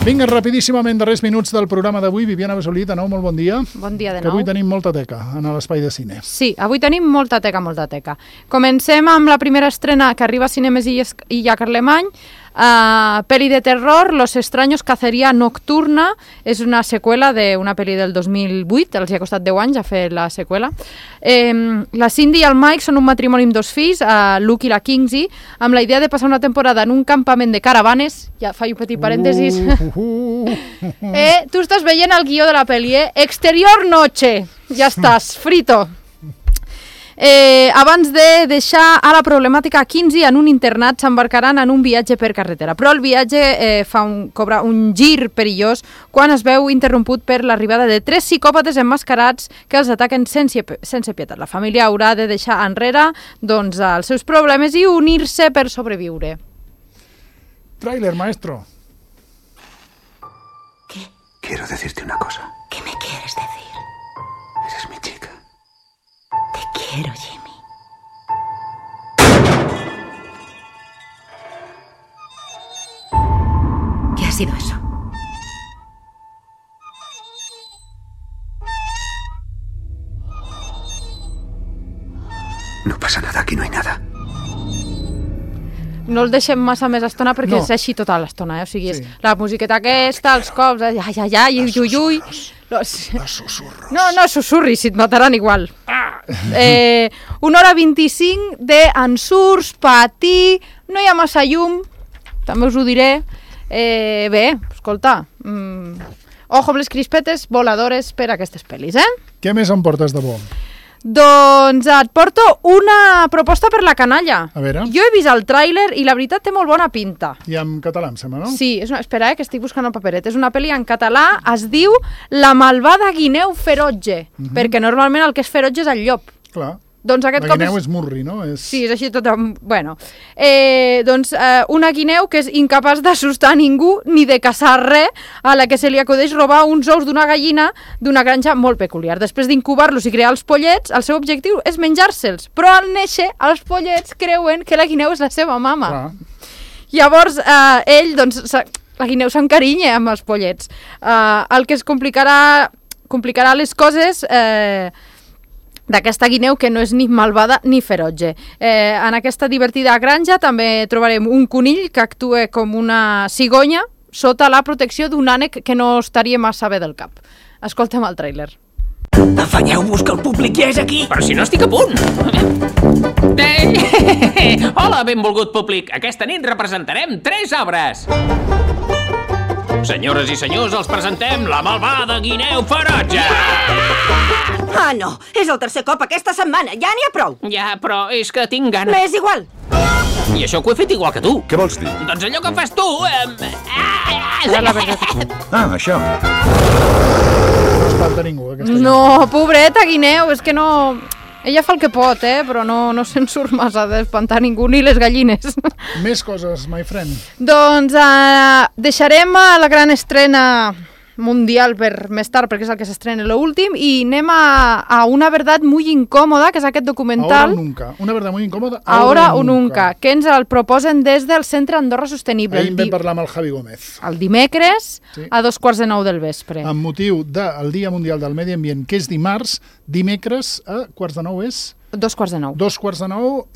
Vinga, rapidíssimament, darrers minuts del programa d'avui. Viviana Besolí, de nou, molt bon dia. Bon dia de nou. Que avui tenim molta teca en l'espai de cine. Sí, avui tenim molta teca. Comencem amb la primera estrena que arriba a Cinemes Illa Carlemany. Peli de terror, Los extraños cacería nocturna. És una seqüela d'una pel·li del 2008, els hi ha costat 10 anys a fer la seqüela. La Cindy i el Mike són un matrimoni amb 2 fills, Luke i la Kinsey, amb la idea de passar una temporada en un campament de caravanes. Ja faig un petit parèntesis. Tu estàs veient el guió de la pel·li, Exterior noche. Ja estàs, frito. Abans de deixar a la problemàtica Kinsey en un internat, s'embarcaran en un viatge per carretera, però el viatge cobra un gir perillós quan es veu interromput per l'arribada de 3 psicòpates emmascarats que els ataquen sense pietat. La família haurà de deixar enrere els seus problemes i unir-se per sobreviure. Tráiler, maestro. ¿Qué? Quiero decirte una cosa. ¿Qué me quieres decir? Eres mi chica. Te quiero, Jimmy. ¿Qué ha sido eso? No pasa nada, aquí no hay nada. No el deixem massa més estona perquè és així tota l'estona, O sigui, és la musiqueta aquesta, els cops, ai, ui. Els susurros. No susurris, si et mataran igual. 1 hora 25 d'ensurts, patir, no hi ha massa llum, també us ho diré. Bé, escolta, ojo amb les crispetes voladores per a aquestes pel·lis, Què més em portes de bo? Doncs et porto una proposta per la canalla. A veure. Jo he vist el tràiler i la veritat té molt bona pinta. I en català, em sembla, no? Sí, espera, que estic buscant el paperet. És una pel·li en català, es diu La malvada guineu ferotge, perquè normalment el que és ferotge és el llop. Clar. Doncs aquest la guineu és murri, no? Sí, és així tot... Bueno, una guineu que és incapaç d'assustar ningú ni de caçar res, a la que se li acudeix robar uns ous d'una gallina d'una granja molt peculiar. Després d'incubar-los i crear els pollets, el seu objectiu és menjar-se'ls. Però al néixer, els pollets creuen que la guineu és la seva mama. Clar. Llavors, la guineu s'encarinya amb els pollets. El que es complicarà les coses... d'aquesta guineu que no és ni malvada ni ferotge. En aquesta divertida granja també trobarem un conill que actua com una cigonya sota la protecció d'un ànec que no estaria massa bé del cap. Escoltem el tràiler. Afanyeu-vos que el públic ja és aquí! Però si no estic a punt! Hola, benvolgut públic! Aquesta nit representarem 3 obres! Senyores i senyors, els presentem La malvada guineu ferotge! Ah, no! És el 3è cop aquesta setmana! Ja n'hi ha prou! Ja, però és que tinc gana. M'és igual! I això que ho he fet igual que tu. Què vols dir? Doncs allò que fas tu... Això. No espanta ningú, aquesta No, pobreta guineu, és que no... Ella fa el que pot, però no se'n surt massa d'espantar ningú, ni les gallines. Més coses, my friend. Doncs deixarem la gran estrena mundial per més tard, perquè és el que s'estrena l'últim, i anem a Una verdad muy incòmoda, que és aquest documental. Ahora o nunca. Una verdad muy incòmoda. Ahora o nunca, que ens el proposen des del Centre Andorra Sostenible. Ahir vam parlar amb el Javi Gómez. El dimecres, a 2:45 del vespre. Amb motiu del Dia Mundial del Medi Ambient, que és dimarts, dimecres a 8:45 és... 2:45. 2:45,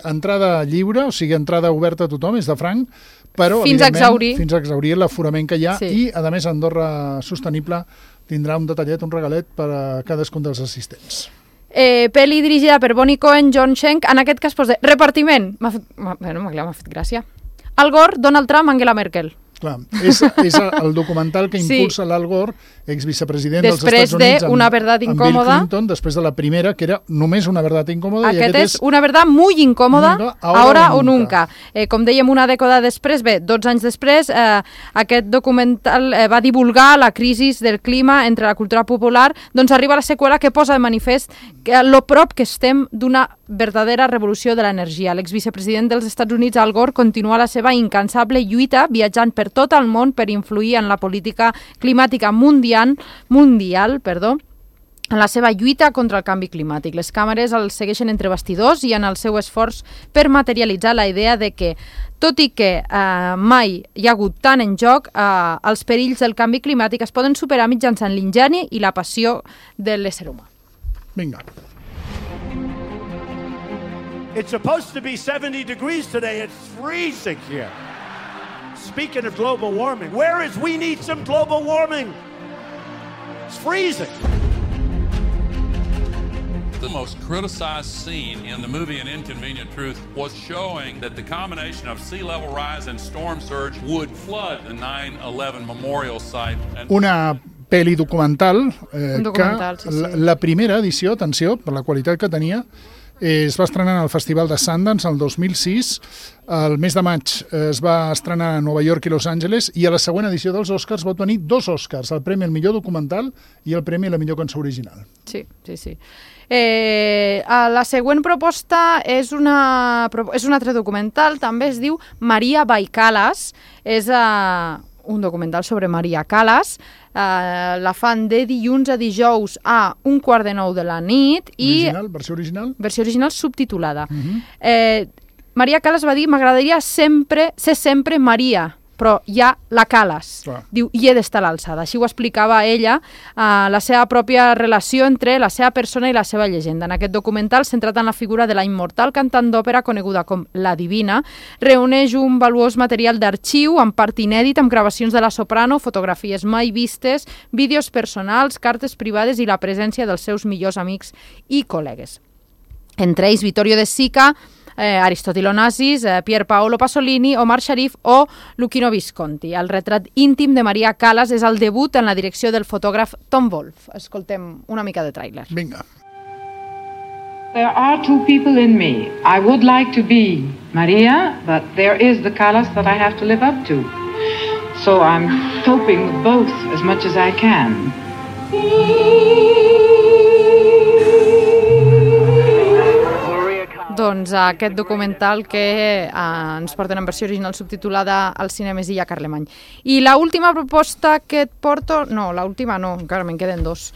entrada lliure, o sigui, entrada oberta a tothom, és de franc, però fins a exaurir l'aforament que hi ha, i a més Andorra Sostenible tindrà un detallet, un regalet per a cadascun dels assistents. Pel·li dirigida per Bonnie Cohen, John Schenk, en aquest cas posa repartiment. M'ha fet gràcia. Al Gore, Donald Trump, Angela Merkel. Clar, és el documental que impulsa l'Al Gore, exvicepresident dels Estats Units, després d'Una verdad incòmoda, amb Bill Clinton, després de la primera, que era només Una verdad incòmoda. Aquest és Una verdad muy incòmoda, ahora o nunca. Com dèiem, una dècada després, 12 anys després, aquest documental va divulgar la crisi del clima entre la cultura popular, doncs arriba la seqüela que posa de manifest lo prop que estem d'una verdadera revolució de l'energia. L'exvicepresident dels Estats Units, Al Gore, continua la seva incansable lluita viatjant per tot el món per influir en la política climàtica mundial, en la seva lluita contra el canvi climàtic. Les càmeres el segueixen entre bastidors i en el seu esforç per materialitzar la idea de que, tot i que mai hi ha hagut tant en joc, els perills del canvi climàtic es poden superar mitjançant l'ingeni i la passió de l'ésser humà. Vinga. It's supposed to be 70 degrees today. It's freezing here. Speaking of global warming, we need some global warming. It's freezing. The most criticized scene in the movie An Inconvenient Truth was showing that the combination of sea level rise and storm surge would flood the 9/11 memorial site. Una pel·li documental, sí. La primera edició, atenció, per la qualitat que tenia, es va estrenar al Festival de Sundance el 2006, el mes de maig es va estrenar a Nova York i Los Angeles, i a la següent edició dels Oscars va tenir 2 Oscars, el premi al millor documental i el premi a la millor cançó original. Sí. La següent proposta és un altre documental, també es diu Maria by Callas, és un documental sobre Maria Callas, la fan de dilluns a dijous a 8:45 de la nit. Versió original? Versió original subtitulada. Maria Callas va dir: m'agradaria ser sempre Maria, però hi ha la Callas. Diu, i he d'estar a l'alçada. Així ho explicava ella, la seva pròpia relació entre la seva persona i la seva llegenda. En aquest documental, centrat en la figura de la immortal cantant d'òpera coneguda com La Divina, reuneix un valuós material d'arxiu, en part inèdit, amb gravacions de la soprano, fotografies mai vistes, vídeos personals, cartes privades i la presència dels seus millors amics i col·legues. Entre ells, Vittorio De Sica, Aristotile Onassis, Pier Paolo Pasolini, Omar Sharif o Luchino Visconti. El retrat íntim de Maria Callas és el debut en la direcció del fotògraf Tom Wolfe. Escoltem una mica de tràiler. Vinga. There are 2 people in me. I would like to be Maria, but there is the Callas that I have to live up to. So I'm coping with both as much as I can. Doncs aquest documental que ens porten en versió original subtitulada al Cinemes Illa Carlemany. I l'última proposta que et porto... No, l'última no, encara me'n queden 2.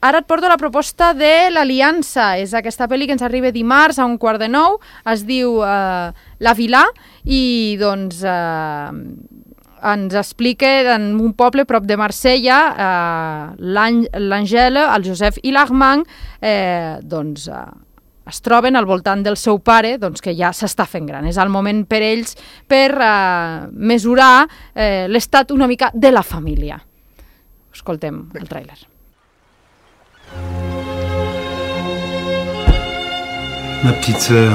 Ara et porto la proposta de l'Aliança. És aquesta pel·li que ens arriba dimarts a 8:45. Es diu La Vilà i doncs ens explica en un poble prop de Marsella, l'Àngela, el Josep i l'Armand es troben al voltant del seu pare, doncs, que ja s'està fent gran. És el moment per ells per mesurar l'estat una mica de la família. Escoltem el tràiler. Ma petite sœur,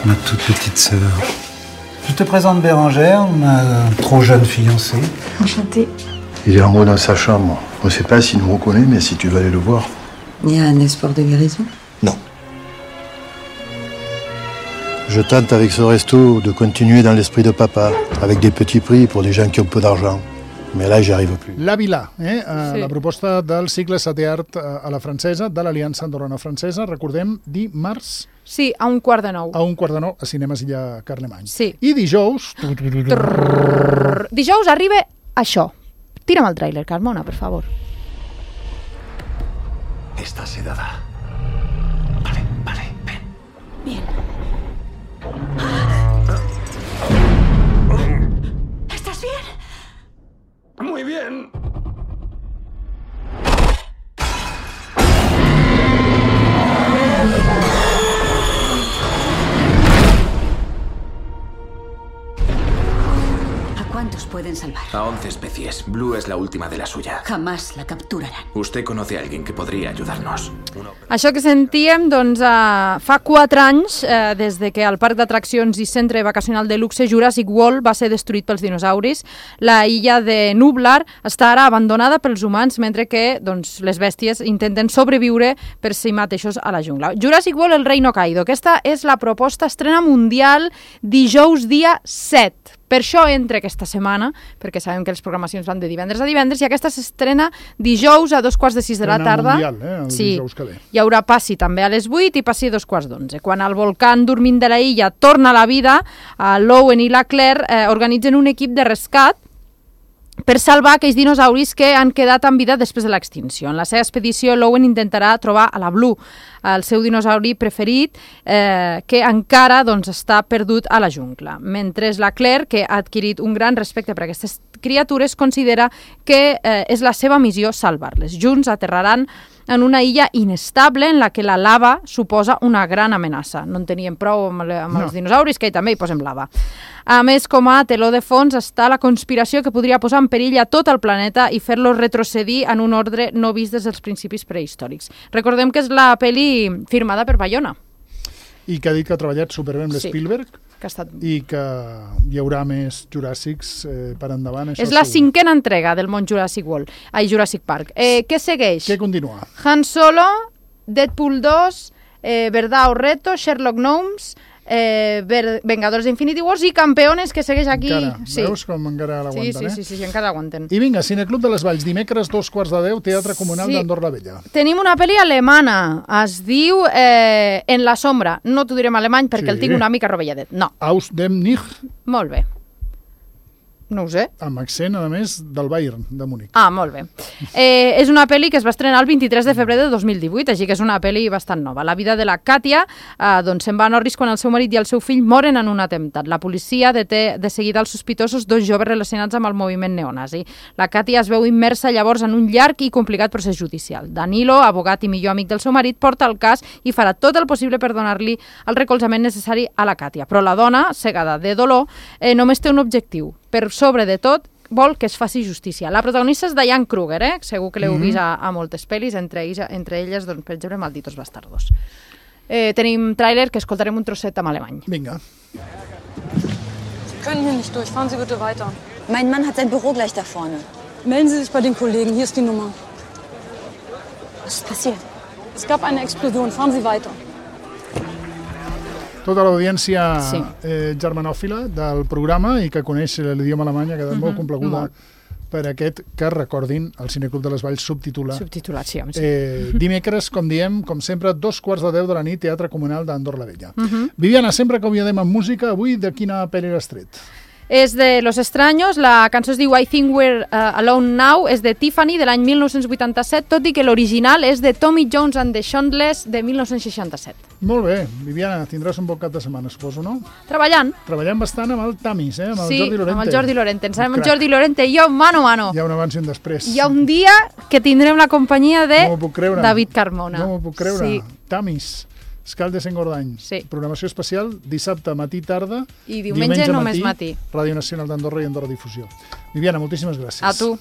ma toute petite sœur. Je te présente Bérangère, ma trop jeune fiancée. Enchantée. Il est en haut dans sa chambre. On ne sait pas s'il nous reconnaît, mais si tu veux aller le voir. Il y a un espoir de guérison? Non. Je tente avec ce resto de continuer dans l'esprit de papa, avec des petits prix pour les gens qui ont peu d'argent. Mais là, j'y arrive plus. La Vilà, sí. La proposta del cicle Setè Art a la francesa, de l'Aliança Andorrana Francesa, recordem, dimarts... Sí, a 8:45. A 8:45 a Cinemes Illa Carlemany. Sí. I dijous... Dijous arriba això. Tira'm el tràiler, Carmona, per favor. Estás sedada. Vale, ven. Bien. ¿Estás bien? Muy bien. ¿Cuántos pueden salvar? A 11 especies. Blue es la última de la suya. Jamás la capturarán. Usted conoce a alguien que podría ayudarnos. Això que sentíem, doncs, fa 4 anys, des de que el parc d'atraccions i centre vacacional de luxe Jurassic World va ser destruït pels dinosauris, la illa de Nublar està ara abandonada pels humans, mentre que doncs, les bèsties intenten sobreviure per si mateixos a la jungla. Jurassic World, el Reino Caído. Aquesta és la proposta estrena mundial dijous dia 7. Per això entra aquesta setmana, perquè sabem que les programacions van de divendres a divendres, i aquesta s'estrena dijous a 2:45 de la tarda. Mundial, el dijous que ve. Hi haurà passi també a les 8 i passi a 2:15. Quan el volcán dormint de la illa torna a la vida, l'Owen i la Claire organitzen un equip de rescat per salvar aquells dinosauris que han quedat en vida després de l'extinció. En la seva expedició, l'Owen intentarà trobar a la Blue, el seu dinosauri preferit, que encara està perdut a la jungla. Mentre la Claire, que ha adquirit un gran respecte per aquestes criatures, considera que és la seva missió salvar-les. Junts aterraran en una illa inestable en la que la lava suposa una gran amenaça. No en teníem prou amb els dinosauris, que també hi posem lava. A més, com a teló de fons està la conspiració que podria posar en perill a tot el planeta i fer-lo retrocedir en un ordre no vist des dels principis prehistòrics. Recordem que és la pel·li firmada per Bayona. I que ha dit que ha treballat superbé amb l'Spielberg i que hi haurà més Juràssics per endavant. És la 5a entrega del món Jurassic World, Jurassic Park. Què segueix? Què continua? Han Solo, Deadpool 2, Verdad o Reto, Sherlock Gnomes, Vengadors d'Infinity Wars i Campeones, que segueix aquí. Encara, veus com encara l'aguanten, Sí, encara aguanten. I vinga, Cineclub de les Valls, dimecres 2:15, Teatre Comunal d'Andorra la Vella. Tenim una pel·li alemana, es diu En la sombra. No t'ho direm alemany perquè el tinc una mica rovelladet. No. Aus dem Nicht. Molt bé. No ho sé. Amb accent, a més, del Bayern, de Múnich. Ah, molt bé. És una pel·li que es va estrenar el 23 de febrer de 2018, així que és una pel·li bastant nova. La vida de la Katia se'n va a Norris quan el seu marit i el seu fill moren en un atemptat. La policia deté de seguida els sospitosos, 2 joves relacionats amb el moviment neonazi. La Katia es veu immersa llavors en un llarg i complicat procés judicial. Danilo, abogat i millor amic del seu marit, porta el cas i farà tot el possible per donar-li el recolzament necessari a la Katia. Però la dona, cegada de dolor, només té un objectiu. Per sobre de tot, vol que es faci justícia. La protagonista és Diane Kruger, segur que l'heu vist a moltes pel·lis, entre elles, per exemple, Malditos Bastardos. Tenim tràiler que escoltarem un trosset en alemany. Vinga. Sie können hier nicht durch. Fahren Sie bitte weiter. Mein Mann hat sein Büro gleich da vorne. Melden Sie sich bei den Kollegen. Hier ist die Nummer. Was ist passiert? Es gab eine Explosion. Fahren Sie weiter. Tota l'audiència germanòfila del programa i que coneix l'idioma alemany ha quedat molt complaguda per aquest que recordin el Cineclub de les Valls subtitulat. Subtitulat, sí. Dimecres, com diem, com sempre, 2:15 de la nit, Teatre Comunal d'Andorra la Vella. Viviana, sempre que acomiadem amb música, avui de quina pel·li l'has tret? És de Los Extraños, la cançó es diu I Think We're Alone Now, és de Tiffany, de l'any 1987, tot i que l'original és de Tommy Jones and the Shondells, de 1967. Molt bé. Viviana, tindràs un bon cap de setmana, suposo, no? Treballant. Treballant bastant amb el Tamis, amb el Jordi Lorente. Sí, amb el Jordi Lorente. Ens sabem el Jordi Lorente i jo, mano a mano. Hi ha un abans i un després. Hi ha un dia que tindrem la companyia de David Carmona. No m'ho puc creure. Tamis. Escaldes en Gordany. Sí. Programació especial, dissabte, matí, tarda. I diumenge només matí. Ràdio Nacional d'Andorra i Andorra Difusió. Viviana, moltíssimes gràcies. A tu.